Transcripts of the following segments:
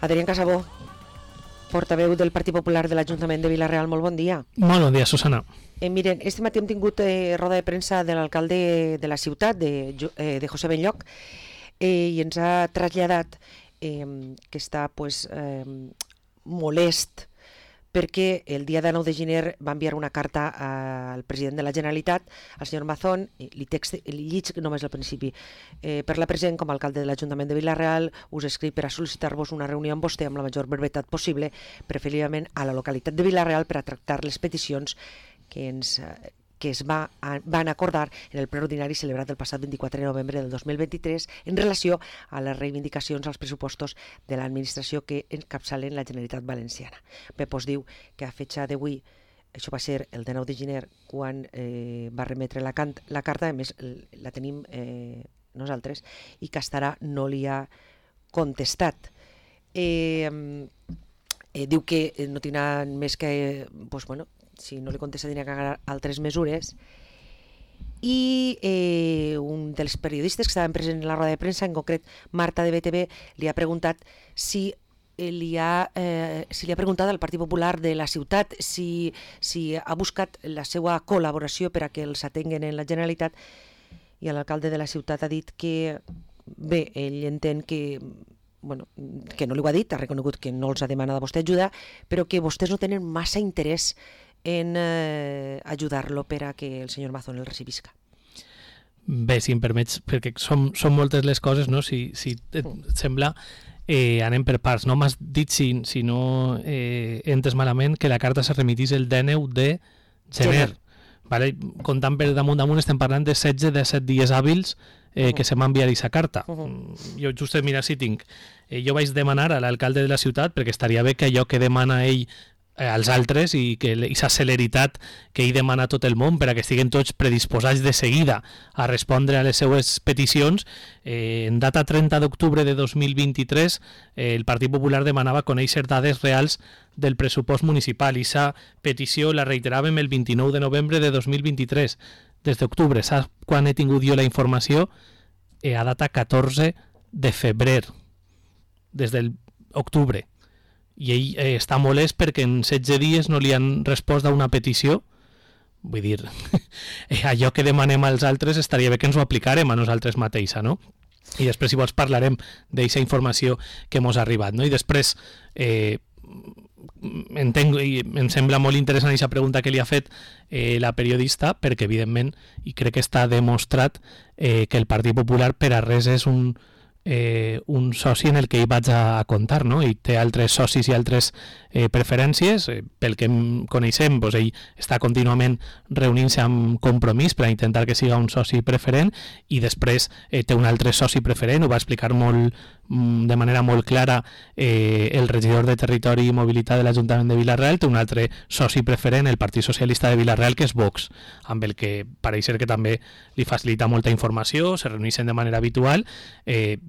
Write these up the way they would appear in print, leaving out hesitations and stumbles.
Adrián Casabó, portaveu del Partit Popular de l'Ajuntament de Vila-real, molt bon dia. Molt bon dia, Susana. Miren, este matí hem tingut roda de premsa de l'alcalde de la ciutat, de José Benlloch, i ens ha traslladat que està molest perquè el dia de 9 de gener va enviar una carta al president de la Generalitat, al senyor Mazón, li llig només al principi. Per la present, com a alcalde de l'Ajuntament de Vila-real, us escric per a sol·licitar-vos una reunió amb vostè amb la major brevetat possible, preferiblement a la localitat de Vila-real, per a tractar les peticions que es van acordar en el ple ordinari celebrat el passat 24 de novembre del 2023 en relació a les reivindicacions als pressupostos de l'administració que encapçalen la Generalitat Valenciana. Bé, doncs diu que a fetxa d'avui, això va ser el 19 de gener, quan va remetre la carta, a més la tenim nosaltres, i Castarà no li ha contestat. Diu que no tindran més que... si no li contesta tindrà que agarrar altres mesures, i un dels periodistes que estaven presents en la roda de premsa, en concret Marta de BTV, li ha preguntat si li ha preguntat al Partit Popular de la ciutat si ha buscat la seva col·laboració per a que els atenguen en la Generalitat, i l'alcalde de la ciutat ha dit que bé, ell entén que no li ho ha dit, ha reconegut que no els ha demanat a vostè ajuda, però que vostès no tenen massa interès en ajudar-lo per a que el senyor Mazón el recibisca. Bé, si em permets, perquè són moltes les coses, no? Si et sembla, anem per parts. No m'has dit, si no entes malament, que la carta se remitís el 19 de gener. Vale? Comptant per damunt, estem parlant de 16-17 dies hàbils que se m'ha enviat aquesta carta. Jo just mira si tinc. Jo vaig demanar a l'alcalde de la ciutat, perquè estaria bé que allò que demana ell als altres i que aquesta celeritat que ell demana a tot el món per a que estiguen tots predisposats de seguida a respondre a les seues peticions. En data 30 d'octubre de 2023 el Partit Popular demanava conèixer dades reals del pressupost municipal, i aquesta petició la reiteràvem el 29 de novembre de 2023. Des d'octubre, saps quan he tingut jo la informació? A data 14 de febrer, des d'octubre. I ell està molest perquè en 16 dies no li han respost a una petició. Vull dir, allò que demanem als altres estaria bé que ens ho aplicarem a nosaltres mateixa, no? I després, si vols, parlarem d'aquesta informació que mos ha arribat, no? I després, entenc, i em sembla molt interessant aquesta pregunta que li ha fet la periodista, perquè, evidentment, i crec que està demostrat que el Partit Popular per a res és un soci en el que hi vaig a comptar, no? I té altres socis i altres preferències. Pel que coneixem, doncs ell està contínuament reunint-se amb Compromís per a intentar que siga un soci preferent, i després té un altre soci preferent. Ho va explicar de manera molt clara el regidor de Territori i Mobilitat de l'Ajuntament de Vila-real. Té un altre soci preferent, el Partit Socialista de Vila-real, que és Vox, amb el que pareix ser que també li facilita molta informació, se reuneixen de manera habitual.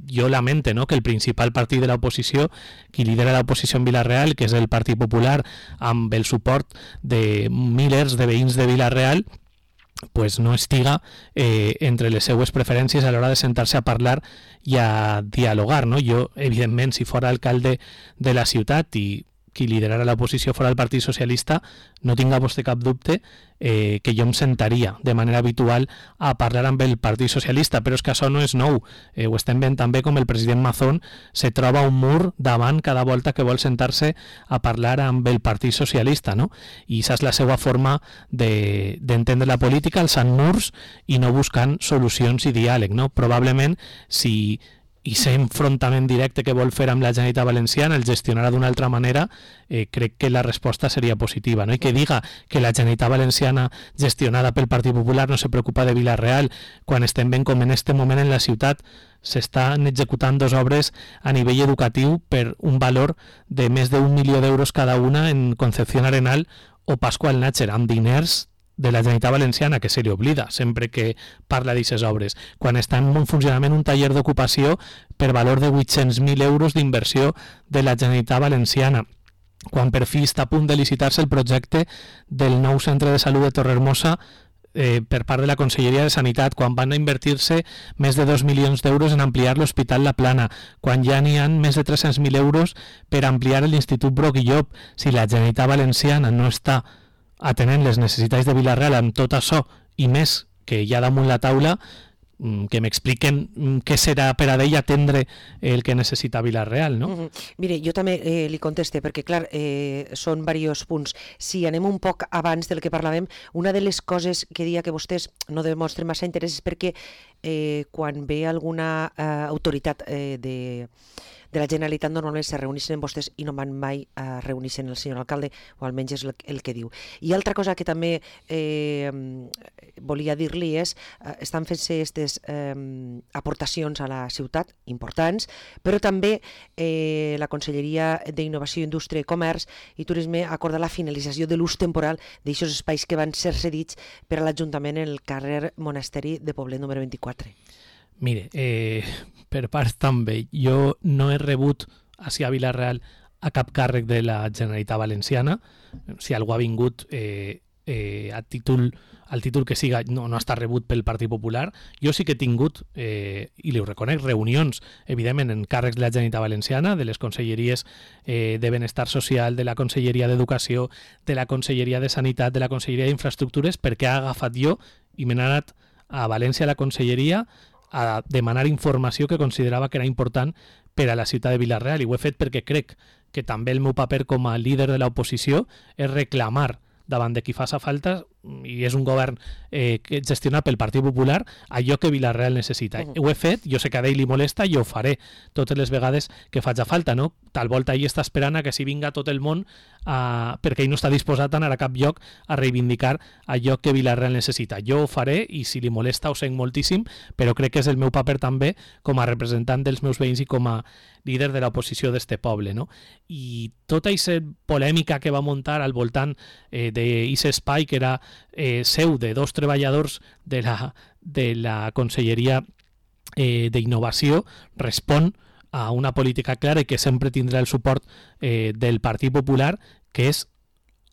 Jo lamento, no?, que el principal partit de l'oposició, qui lidera l'oposició en Vila-real, que és el Partit Popular, amb el suport de milers de veïns de Vila-real, pues no estiga entre les seues preferències a l'hora de sentar-se a parlar i a dialogar, no? Jo, evidentment, si fora alcalde de la ciutat i qui liderara l'oposició fora el Partit Socialista, no tinga vostè cap dubte que jo em sentaria de manera habitual a parlar amb el Partit Socialista, però és que això no és nou. Ho estem veient també com el president Mazón se troba un mur davant cada volta que vol sentar-se a parlar amb el Partit Socialista, no? I aquesta és la seva forma d'entendre la política, alçant murs i no buscant solucions i diàleg, no? Probablement, si i aquest enfrontament directe que vol fer amb la Generalitat Valenciana el gestionarà d'una altra manera, crec que la resposta seria positiva, no? I que diga que la Generalitat Valenciana gestionada pel Partit Popular no se preocupa de Vila-real, quan estem veient com en este moment en la ciutat s'estan executant 2 obres a nivell educatiu per un valor de més d'1 milió d'euros cada una en Concepción Arenal o Pascual Nácher, amb diners de la Generalitat Valenciana, que se li oblida sempre que parla d'aquestes obres, quan està en funcionament un taller d'ocupació per valor de 800.000 euros d'inversió de la Generalitat Valenciana, quan per fi està a punt de licitar-se el projecte del nou centre de salut de Torrehermosa per part de la Conselleria de Sanitat, quan van invertir-se més de 2 milions d'euros en ampliar l'Hospital La Plana, quan ja n'hi ha més de 300.000 euros per ampliar l'Institut Broc i Llop. Si la Generalitat Valenciana no està atenent les necessitats de Vila-real amb tot això i més que hi ha damunt la taula, que m'expliquen què serà per a ell atendre el que necessita Vila-real, no? Mire, jo també li conteste, perquè clar, són diversos punts. Si anem un poc abans del que parlàvem, una de les coses que dia que vostès no demostren massa interès és perquè quan ve alguna autoritat de la Generalitat normalment se reuneixen amb vostès i no van mai a reunir-se el senyor alcalde, o almenys és el que diu. I altra cosa que també volia dir-li és, estan fent-se aquestes aportacions a la ciutat, importants, però també la Conselleria d'Innovació, Indústria, Comerç i Turisme acorda la finalització de l'ús temporal d'aixòs espais que van ser cedits per a l'Ajuntament en el carrer Monasteri de Poblet número 24. Mire, per part també, jo no he rebut ací a Vila-real a cap càrrec de la Generalitat Valenciana. Si algú ha vingut al títol que siga, no ha estat rebut pel Partit Popular. Jo sí que he tingut, i li ho reconec, reunions, evidentment, en càrrecs de la Generalitat Valenciana, de les conselleries de Benestar Social, de la Conselleria d'Educació, de la Conselleria de Sanitat, de la Conselleria d'Infraestructures, perquè ha agafat jo i me n'he anat a València a la Conselleria a demanar informació que considerava que era important per a la ciutat de Vila-real, i ho he fet perquè crec que també el meu paper com a líder de l'oposició és reclamar davant de qui faça falta, i és un govern gestionat pel Partit Popular, allò que Vila-real necessita. Ho he fet, jo sé que a ell li molesta i ho faré totes les vegades que faci falta, no? Tal volta ell està esperant a que si vinga tot el món perquè ell no està disposat a anar a cap lloc a reivindicar allò que Vila-real necessita. Jo ho faré i si li molesta ho sent moltíssim, però crec que és el meu paper també com a representant dels meus veïns i com a líder de l'oposició d'este poble, no? I tota aquesta polèmica que va muntar al voltant d'aquest espai que era seu de dos treballadors de la Conselleria d'Innovació respon a una política clara i que sempre tindrà el suport del Partit Popular, que és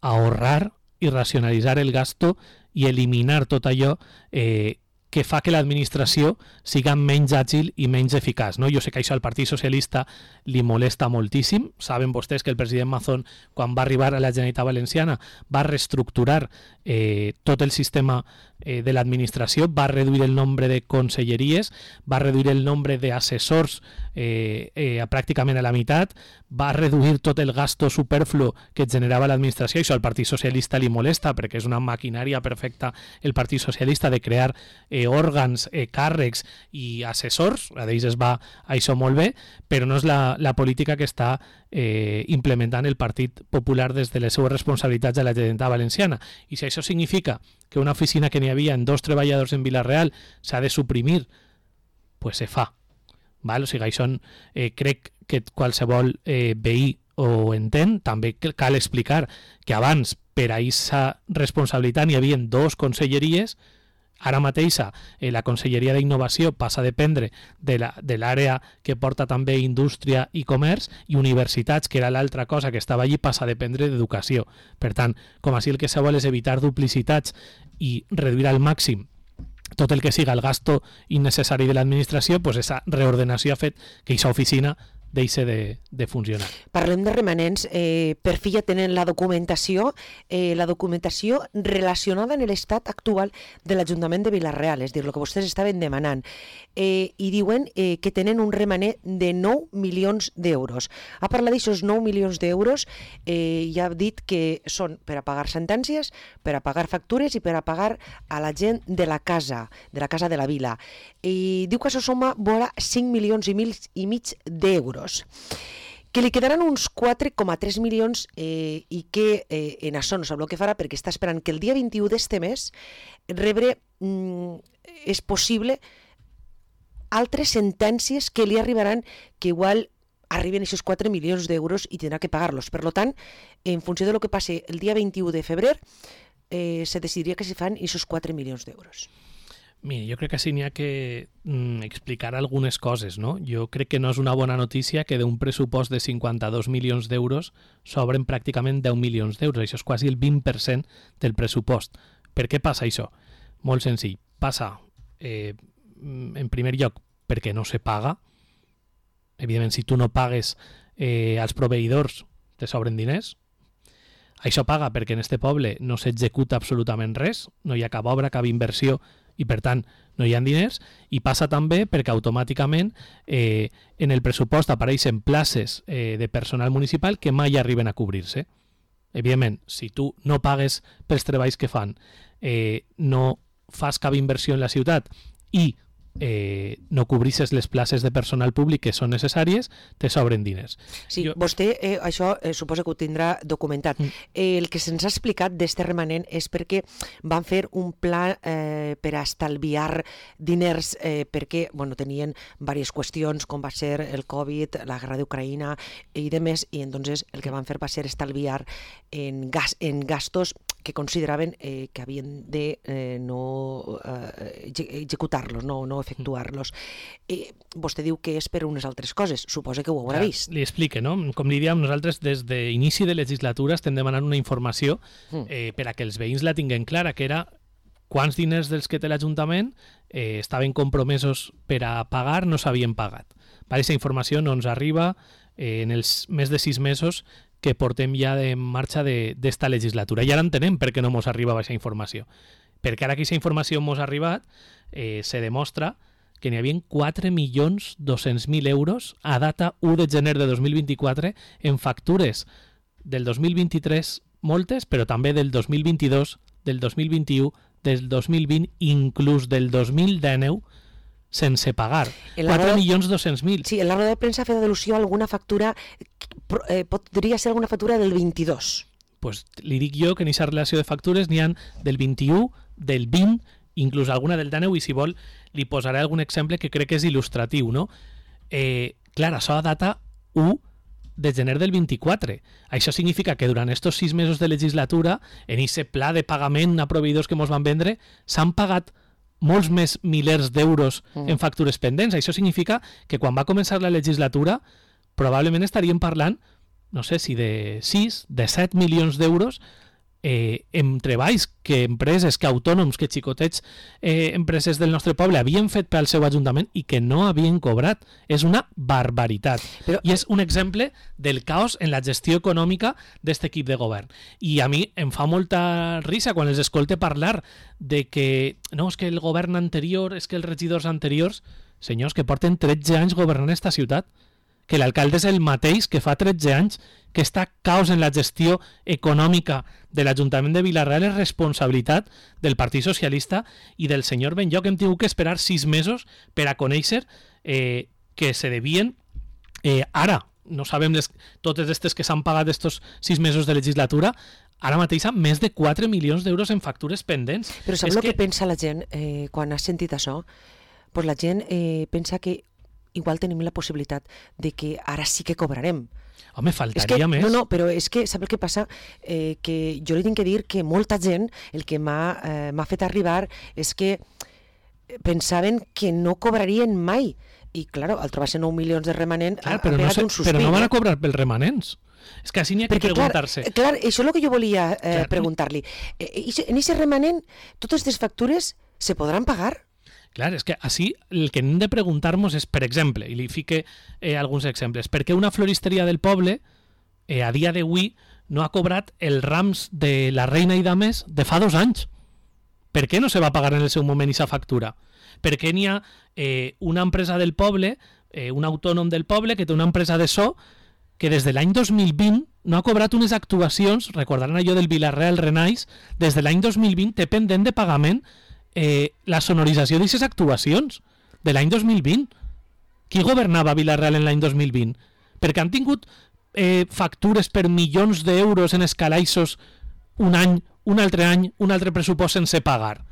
ahorrar i racionalitzar el gasto i eliminar tot allò que fa que l'administració siga menys àgil i menys eficaç, no? Jo sé que això al Partit Socialista li molesta moltíssim. Saben vostès que el president Mazón, quan va arribar a la Generalitat Valenciana, va reestructurar tot el sistema de l'administració, va reduir el nombre de conselleries, va reduir el nombre d'assessors pràcticament a la meitat, va reduir tot el gasto superflu que generava l'administració. Això al Partit Socialista li molesta perquè és una maquinària perfecta el Partit Socialista de crear òrgans, càrrecs i assessors. A d'ells es va això molt bé, però no és la política que està implementant el Partit Popular des de les seues responsabilitats a la Generalitat Valenciana. I si això significa que una oficina que n'hi havia en 2 treballadors en Vila-real s'ha de suprimir, pues se fa. Val? O sigui, això crec que qualsevol veí ho entén. També cal explicar que abans per a aquesta responsabilitat n'hi havia 2 conselleries. Ara mateix la Conselleria d'Innovació passa a dependre de l'àrea que porta també Indústria i Comerç, i Universitats, que era l'altra cosa que estava allí, passa a dependre d'Educació. Per tant, com així el que se vol és evitar duplicitats i reduir al màxim tot el que siga el gasto innecessari de l'administració, doncs aquesta reordenació ha fet que aquesta oficina deixa de funcionar. Parlem de remanents. Per fi ja tenen la documentació relacionada en l'estat actual de l'Ajuntament de Vila-real, és a dir, el que vostès estaven demanant. I diuen que tenen un remanent de 9 milions d'euros. Ha parlat d'aixòs 9 milions d'euros i ha dit que són per a pagar sentències, per a pagar factures i per a pagar a la gent de la casa de la vila. I diu que això suma vora 5 milions i mig d'euros. Que li quedaran uns 4,3 milions i que en això no sap el que farà, perquè està esperant que el dia 21 d'este mes rebre, és possible, altres sentències que li arribaran, que igual arriben aquests 4 milions d'euros i tindrà que pagar-los. Per tant, en funció de lo que passi el dia 21 de febrer, se decidiria que se fan aquests 4 milions d'euros. Mira, jo crec que sí n'hi ha que explicar algunes coses, no? Jo crec que no és una bona notícia que d'un pressupost de 52 milions d'euros s'obren pràcticament 10 milions d'euros. Això és quasi el 20% del pressupost. Per què passa això? Molt senzill. Passa, en primer lloc, perquè no se paga. Evidentment, si tu no pagues als proveïdors, te sobren diners. Això paga perquè en este poble no s'executa absolutament res, no hi ha cap obra, cap inversió, i per tant no hi ha diners, i passa també perquè automàticament en el pressupost apareixen places de personal municipal que mai arriben a cobrir-se. Evidentment, si tu no pagues pels treballs que fan, no fas cap inversió en la ciutat i no cobrisses les places de personal públic que són necessàries, te sobren diners. Sí, vostè això suposa que ho tindrà documentat. El que se'ns ha explicat d'este remanent és perquè van fer un pla per a estalviar diners perquè tenien diverses qüestions com va ser el Covid, la guerra d'Ucraïna i demés, i entonces el que van fer va ser estalviar en gastos que consideraven que havien de no executar-los, no efectuar-los. Vostè diu que és per unes altres coses, suposa que ho haurà vist. Li explique, no? Com li diem, nosaltres des d'inici de legislatura estem demanant una informació per a que els veïns la tinguin clara, que era quants diners dels que té l'Ajuntament estaven compromesos per a pagar no s'havien pagat. Aquesta informació no ens arriba en els més de 6 mesos que portem ja en marxa d'esta legislatura. I ara entenem per què no ens arriba aquesta informació. Perquè ara que aquesta informació ens ha arribat, se demostra que n'hi havia 4.200.000 euros a data 1 de gener de 2024 en factures del 2023, moltes, però també del 2022, del 2021, del 2020, inclús del 2019, sense pagar. 4.200.000. Sí, en la roda de premsa ha fet al·lusió a alguna factura, podria ser alguna factura del 22. Pues li dic jo que en aquesta relació de factures n'hi ha del 21, del 20, inclús alguna del 19, i si vol li posaré algun exemple que crec que és il·lustratiu, no? Clar, això data 1 de gener del 24. Això significa que durant estos 6 mesos de legislatura, en aquest pla de pagament a proveïdors que ens van vendre, s'han pagat molts més milers d'euros en factures pendents. Això significa que quan va començar la legislatura probablement estaríem parlant, no sé si de 6, de 7 milions d'euros en treballs que empreses, que autònoms, que xicotets empreses del nostre poble havien fet pel seu ajuntament i que no havien cobrat. És una barbaritat. I és un exemple del caos en la gestió econòmica d'aquest equip de govern. I a mi em fa molta risa quan els escolte parlar de que no, és que el govern anterior, és que els regidors anteriors, senyors que porten 13 anys governant esta ciutat, que l'alcalde és el mateix que fa 13 anys, que està caos en la gestió econòmica de l'Ajuntament de Vila-real és responsabilitat del Partit Socialista i del senyor Benlloc. Hem tingut que esperar 6 mesos per a conèixer que se devien ara, no sabem totes aquestes que s'han pagat estos 6 mesos de legislatura, ara mateix més de 4 milions d'euros en factures pendents. Però saps el que pensa la gent quan ha sentit això? Pues la gent pensa que igual tenim la possibilitat de que ara sí que cobrarem. Home, faltaria més. No, però és que, sap el que passa? Que jo li tinc que dir que molta gent, el que m'ha fet arribar és que pensaven que no cobrarien mai. I, clar, al trobar-se 9 milions de remanent, ha pegat un sospir. Però no van a cobrar pels remanents. És que així n'hi ha que preguntar-se. Clar, això és el que jo volia preguntar-li. En aquest remanent, totes les factures se podran pagar? Clar, és que així el que hem de preguntar-nos és, per exemple, i li fique alguns exemples, per què una floristeria del poble a dia d'avui no ha cobrat els rams de la reina i dames de fa 2 anys? Per què no se va pagar en el seu moment aquesta factura? Per què n'hi ha una empresa del poble, un autònom del poble que té una empresa de so que des de l'any 2020 no ha cobrat unes actuacions, recordaran allò del Vila-real Renais, des de l'any 2020 té pendent de pagament la sonorització d'aquestes actuacions de l'any 2020. Qui governava Vila-real en l'any 2020? Perquè han tingut factures per milions d'euros en escalaixos un any, un altre pressupost sense pagar.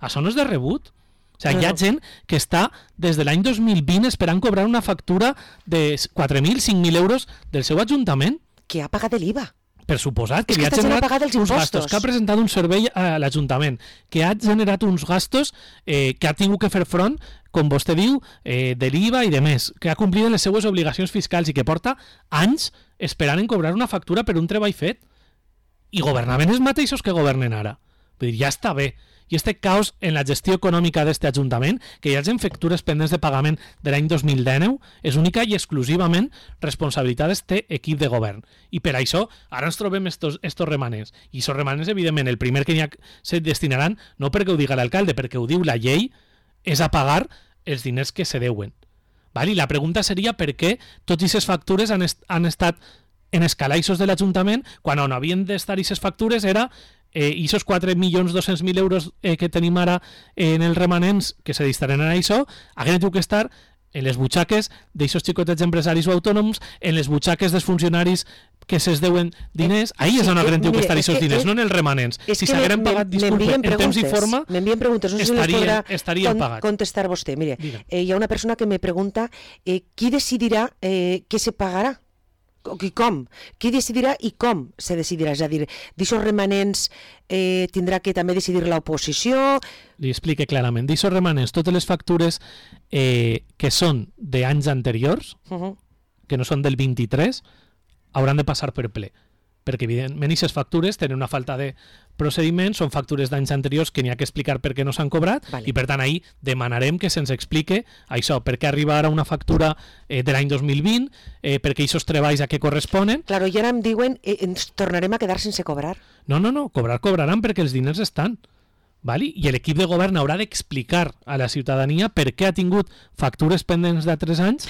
Això no és de rebut. O sigui, hi ha gent que està des de l'any 2020 esperant cobrar una factura de 4.000, 5.000 euros del seu ajuntament. Que ha pagat l'IVA. Per suposat, que li ha generat uns gastos, que ha presentat un servei a l'Ajuntament, que ha generat uns gastos que ha tingut que fer front, com vostè diu, de l'IVA i de més, que ha complit les seues obligacions fiscals i que porta anys esperant en cobrar una factura per un treball fet. I governaven els mateixos que governen ara. Vull dir, ja està bé i este caos en la gestió econòmica d'aquest Ajuntament, que hi hagi factures pendents de pagament de l'any 2019, és única i exclusivament responsabilitat d'aquest equip de govern. I per això ara ens trobem estos remanents. I aquests remanents, evidentment, el primer que se destinaran, no perquè ho diga l'alcalde, perquè ho diu la llei, és a pagar els diners que se deuen. I la pregunta seria per què tots aquestes factures han estat en els calaixos de l'Ajuntament, quan on havien d'estar aquestes factures era aquests 4.200.000 euros que tenim ara en els remanents que se destinaran a això, hagueren hagut que estar en les butxaques d'aquests xicotets empresaris o autònoms, en les butxaques dels funcionaris que se'ls deuen diners, ahí és on hagueren hagut que estar aquests diners, no en els remanents. Si s'hagueren pagat, disculpe, en temps i forma, estarien pagats. Contestar vostè. Mire, hi ha una persona que me pregunta qui decidirà què se pagarà? I com? Qui decidirà i com se decidirà? És a dir, d'aixòs remanents tindrà que també decidir l'oposició? Li explique clarament. D'aixòs remanents, totes les factures que són d'anys anteriors, que no són del 23, hauran de passar per ple. Perquè, evidentment, aquestes factures tenen una falta de procediment, són factures d'anys anteriors que n'hi ha que explicar per què no s'han cobrat, i per tant ahir demanarem que se'ns explique això, per què arriba ara una factura de l'any 2020, per què aquests treballs a què corresponen. Claro, i ara em diuen ens tornarem a quedar sense cobrar. No, cobraran perquè els diners estan. I l'equip de govern haurà d'explicar a la ciutadania per què ha tingut factures pendents de 3 anys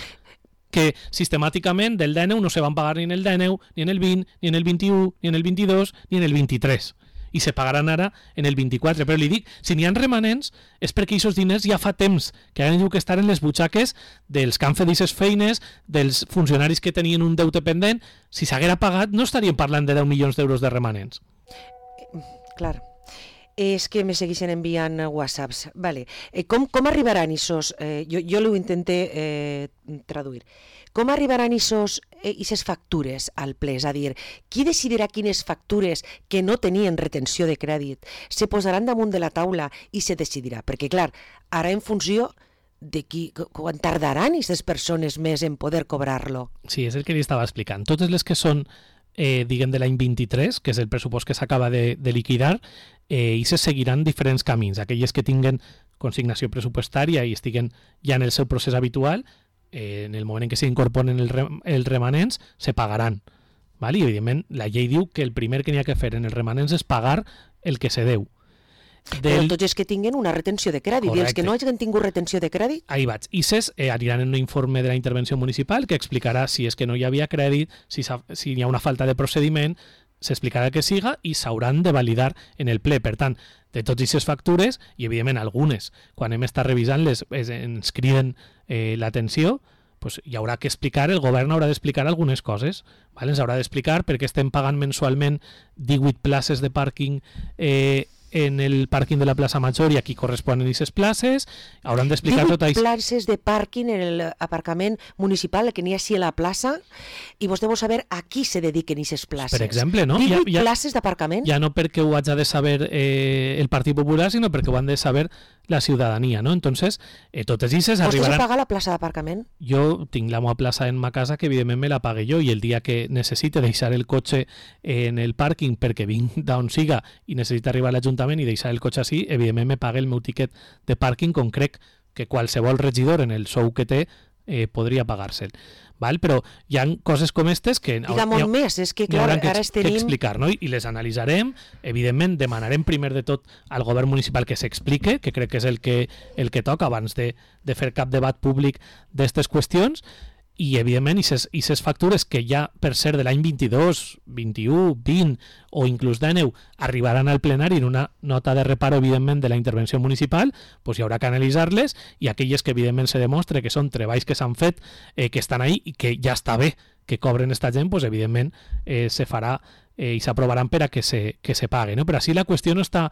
que sistemàticament del 19 no se van pagar ni en el 19, ni en el 20, ni en el 21, ni en el 22, ni en el 23. I se pagaran ara en el 24. Però li dic, si n'hi ha remanents és perquè aquests diners ja fa temps que han hagut que estar en les butxaques dels que han fet aquestes feines, dels funcionaris que tenien un deute pendent. Si s'haguera pagat no estaríem parlant de 10 milions d'euros de remanents. Clar. És que me segueixen enviant whatsapps. Vale. Com arribaran aquests... Jo ho intenté traduir. Com arribaran aquestes factures al ple? És a dir, qui decidirà quines factures que no tenien retenció de crèdit se posaran damunt de la taula i se decidirà? Perquè, clar, ara en funció de quan tardaran aquestes persones més en poder cobrar-lo. Sí, és el que li estava explicant. Totes les que són diguem de l'any 23, que és el pressupost que s'acaba de liquidar, i se seguiran diferents camins. Aquelles que tinguen consignació pressupostària i estiguen ja en el seu procés habitual, en el moment en què s'incorporen els remanents, se pagaran. I, evidentment, la llei diu que el primer que n'hi ha que fer en els remanents és pagar el que se deu. Però tots els que tinguen una retenció de crèdit. Correcte. I els que no hagin tingut retenció de crèdit? Ahí vaig. I aniran en un informe de la intervenció municipal que explicarà si és que no hi havia crèdit, si hi ha una falta de procediment, s'explicarà que siga i s'hauran de validar en el ple. Per tant, de totes aquestes factures, i evidentment algunes, quan hem estat revisant-les, ens criden l'atenció, pues hi haurà que explicar, el govern haurà d'explicar algunes coses. Ens haurà d'explicar per què estem pagant mensualment 18 places de pàrquing en el pàrquing de la plaça Major i aquí corresponen aquestes places, hauran d'explicar tot això. 18 places de pàrquing en l'aparcament municipal que n'hi ha així a la plaça i vostè vol saber a qui se dediquen aquestes places. Per exemple, no? 18 places d'aparcament? Ja no perquè ho hagi de saber el Partit Popular, sinó perquè ho han de saber la ciutadania, ¿no? Entonces, totes aquestes arribaran... ¿Vostè se paga la plaça d'aparcament? Jo tinc la meva plaça en ma casa que evidentment me la pague jo i el dia que necessite deixar el cotxe en el pàrquing perquè vinc d'on siga i necessita arribar a l'Ajuntament i deixar el cotxe així, evidentment me pague el meu tiquet de pàrquing com crec que qualsevol regidor en el sou que té podria pagar-se'l. Però hi ha coses com aquestes que molt més, és que clar, ara tenim que explicar, no? I les analitzarem, evidentment demanarem primer de tot al govern municipal que s'explique, que crec que és el que toca abans de fer cap debat públic d'aquestes qüestions, i evidentment aquestes factures que ja per ser de l'any 22, 21, 20 o inclús 19 arribaran al plenari en una nota de reparo evidentment de la intervenció municipal, doncs hi haurà que analitzar-les i aquelles que evidentment se demostre que són treballs que s'han fet, que estan ahí i que ja està bé que cobren esta gent, doncs evidentment se farà i s'aprovaran per a que se pagui, no? Però així la qüestió no està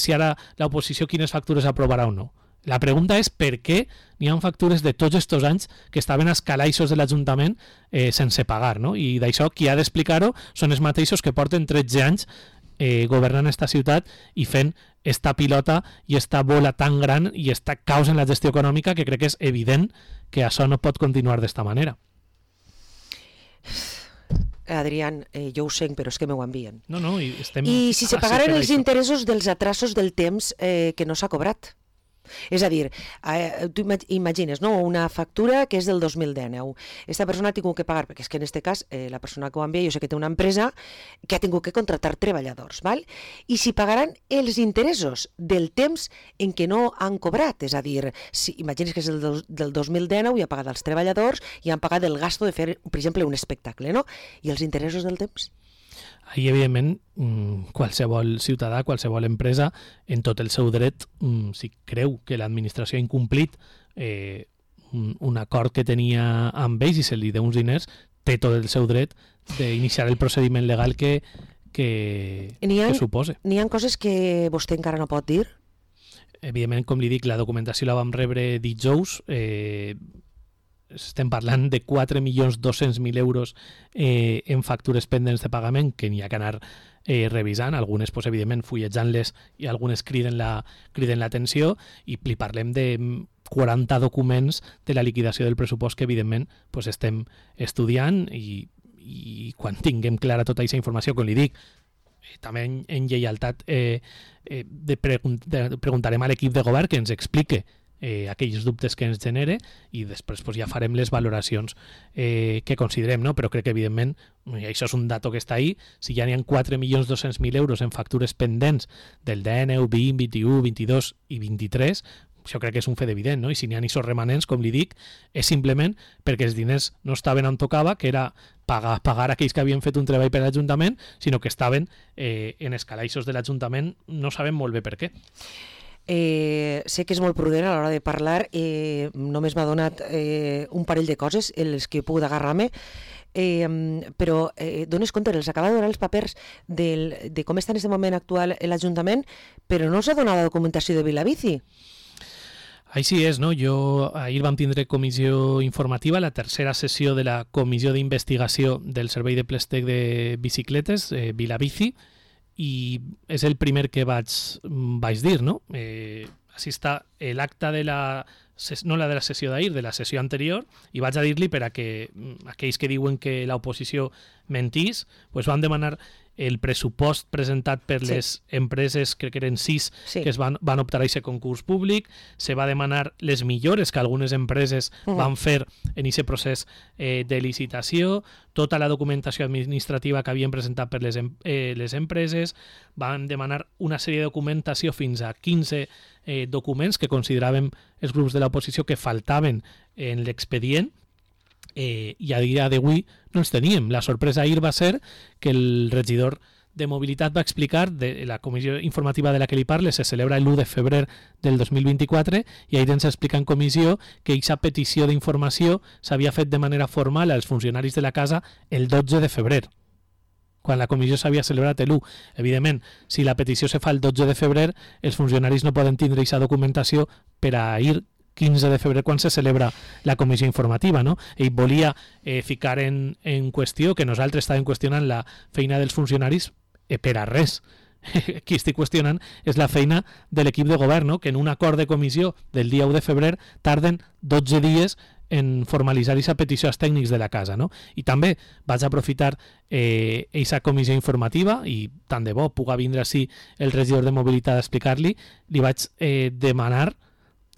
si ara l'oposició quines factures aprovarà o no. La pregunta és per què n'hi ha factures de tots aquests anys que estaven als calaixos de l'Ajuntament sense pagar, no? I d'això qui ha d'explicar-ho són els mateixos que porten 13 anys governant esta ciutat i fent esta pilota i esta bola tan gran i esta caos en la gestió econòmica que crec que és evident que això no pot continuar d'esta manera. Adrián, jo ho sé, però és que m'ho envien. No, i si se pagaren els interessos dels atrasos del temps que no s'ha cobrat. És a dir, tu imagines, no? Una factura que és del 2019. Esta persona ha tingut que pagar, perquè és que en aquest cas la persona que ho envia, jo sé que té una empresa que ha tingut que contractar treballadors, val? I si pagaran els interessos del temps en què no han cobrat, és a dir, si imagines que és del 2019 i ha pagat els treballadors i han pagat el gasto de fer, per exemple, un espectacle, no? I els interessos del temps? Ahí, evidentment, qualsevol ciutadà, qualsevol empresa, en tot el seu dret, si creu que l'administració ha incomplit un acord que tenia amb ells i se li deu uns diners, té tot el seu dret d'iniciar el procediment legal que supose. N'hi ha coses que vostè encara no pot dir? Evidentment, com li dic, la documentació la vam rebre dijous, estem parlant de 4.200.000 euros en factures pendents de pagament que n'hi ha que anar revisant, algunes pues, evidentment fullejant-les i algunes criden l'atenció i li parlem de 40 documents de la liquidació del pressupost que evidentment pues, estem estudiant i quan tinguem clara tota aquesta informació, com li dic, també en lleialtat preguntarem a l'equip de govern que ens explique aquells dubtes que ens genere i després pues, ja farem les valoracions que considerem, no? Però crec que evidentment això és un dato que està ahí, si ja n'hi ha 4.200.000 euros en factures pendents del 19, 20, 21, 22 i 23, això crec que és un fet evident, no? I si n'hi ha aquests remanents, com li dic, és simplement perquè els diners no estaven on tocava, que era pagar aquells que havien fet un treball per l'Ajuntament, sinó que estaven en els calaixos de l'Ajuntament, no sabem molt bé per què. Sé que és molt prudent a l'hora de parlar, només m'ha donat un parell de coses en les que he pogut agarrar-me, però dones compte, els acaba de donar els papers de com està en aquest moment actual l'Ajuntament, però no s'ha donat la documentació de Vilabici. Així és, no? Ahir vam tindre comissió informativa, la tercera sessió de la comissió d'investigació del servei de préstec de bicicletes, Vilabici, i és el primer que vaig dir, no? Així està l'acte de no la de la sessió d'ahir, de la sessió anterior, i vaig a dir-li per a que aquells que diuen que l'oposició mentís, pues van demanar el pressupost presentat per les empreses, crec que eren 6, que van optar a aquest concurs públic, se va demanar les millores que algunes empreses van fer en aquest procés de licitació, tota la documentació administrativa que havien presentat per les empreses, van demanar una sèrie de documentació fins a 15 documents que consideràvem els grups de l'oposició que faltaven en l'expedient, i a dia d'avui no els teníem. La sorpresa ahir va ser que el regidor de Mobilitat va explicar, de la comissió informativa de la que li parle se celebra l'1 de febrer del 2024 i ahir ens explica en comissió que aquesta petició d'informació s'havia fet de manera formal als funcionaris de la casa el 12 de febrer, quan la comissió s'havia celebrat l'1. Evidentment, si la petició se fa el 12 de febrer, els funcionaris no poden tindre aquesta documentació per a ir 15 de febrer quan se celebra la comissió informativa, no? Ell volia ficar en qüestió que nosaltres estàvem qüestionant la feina dels funcionaris per a res. Qui estic qüestionant és la feina de l'equip de govern, no? Que en un acord de comissió del dia 1 de febrer tarden 12 dies en formalitzar aquesta petició als tècnics de la casa, no? I també vaig aprofitar aquesta comissió informativa i tant de bo puga vindre així el regidor de Mobilitat a explicar-li, li vaig demanar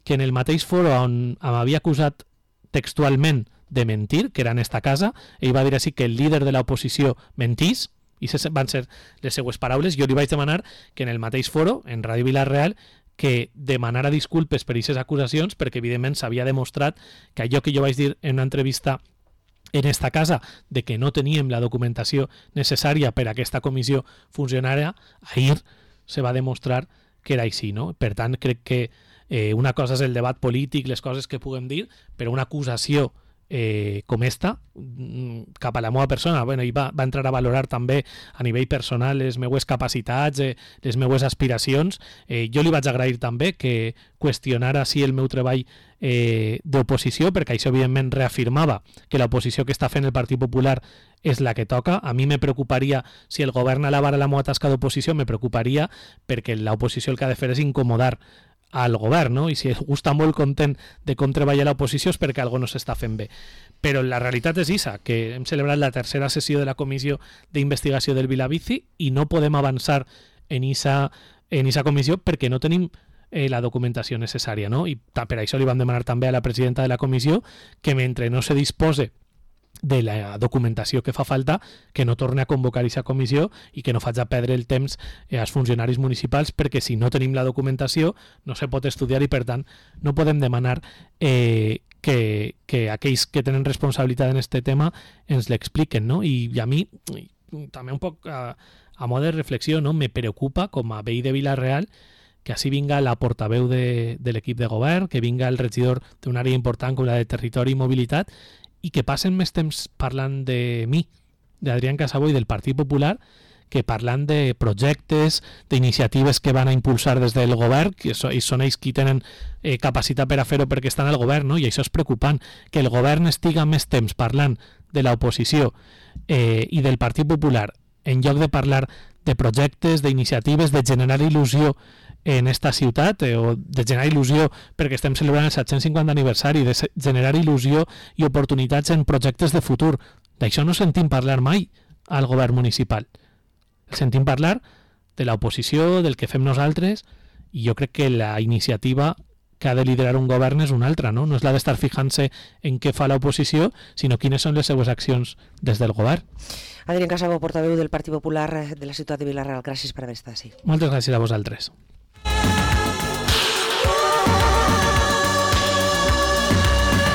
que en el mateix foro on m'havia acusat textualment de mentir, que era en esta casa, ell va dir així que el líder de l'oposició mentís, i van ser les seues paraules. Jo li vaig demanar que en el mateix foro, en Ràdio Vila-real, que demanara disculpes per aquestes acusacions, perquè evidentment s'havia demostrat que allò que jo vaig dir en una entrevista en esta casa, de que no teníem la documentació necessària per a aquesta comissió funcionària, ahir se va demostrar que era així, no? Per tant, crec que una cosa és el debat polític, les coses que puguem dir, però una acusació com esta, cap a la meva persona, bueno, i va entrar a valorar també a nivell personal les meues capacitats, les meues aspiracions. Jo li vaig agrair també que qüestionara així el meu treball d'oposició, perquè això evidentment reafirmava que l'oposició que està fent el Partit Popular és la que toca. A mi me preocuparia, si el govern alabara la meva tasca d'oposició, me preocuparia perquè l'oposició el que ha de fer és incomodar al govern, no? I si algú està molt content de com treballa l'oposició és perquè algo no s'està fent bé. Però la realitat és isa, que hem celebrat la tercera sessió de la Comissió d'Investigació del Vilavici i no podem avançar en esa comissió perquè no tenim la documentació necessària, no? I per això li vam demanar també a la presidenta de la comissió que mentre no se dispose de la documentació que fa falta, que no torni a convocar aquesta comissió i que no faci perdre el temps als funcionaris municipals, perquè si no tenim la documentació no se pot estudiar i per tant no podem demanar que aquells que tenen responsabilitat en este tema ens l'expliquen, no? I a mi també un poc a mode de reflexió, no? Me preocupa com a veí de Vila-real que així vinga la portaveu de l'equip de govern, que vinga el regidor d'una àrea important com la de Territori i Mobilitat, i que passen més temps parlant de mi, d'Adrián Casabó i del Partit Popular, que parlant de projectes, d'iniciatives que van a impulsar des del govern, que són ells qui tenen capacitat per a fer-ho perquè estan al govern, no? I això és preocupant, que el govern estiga més temps parlant de l'oposició i del Partit Popular, en lloc de parlar de projectes, d'iniciatives, de generar il·lusió en esta ciutat, o de generar il·lusió perquè estem celebrant el 750 aniversari, de generar il·lusió i oportunitats en projectes de futur. D'això no sentim parlar mai al govern municipal. El sentim parlar de l'oposició, del que fem nosaltres, i jo crec que la iniciativa que ha de liderar un govern és una altra, no? No és la d'estar fijant-se en què fa l'oposició, sinó quines són les seues accions des del govern. Adrián Casabó, portaveu del Partit Popular de la ciutat de Vila-real, gràcies per haver estat així. Moltes gràcies a vosaltres.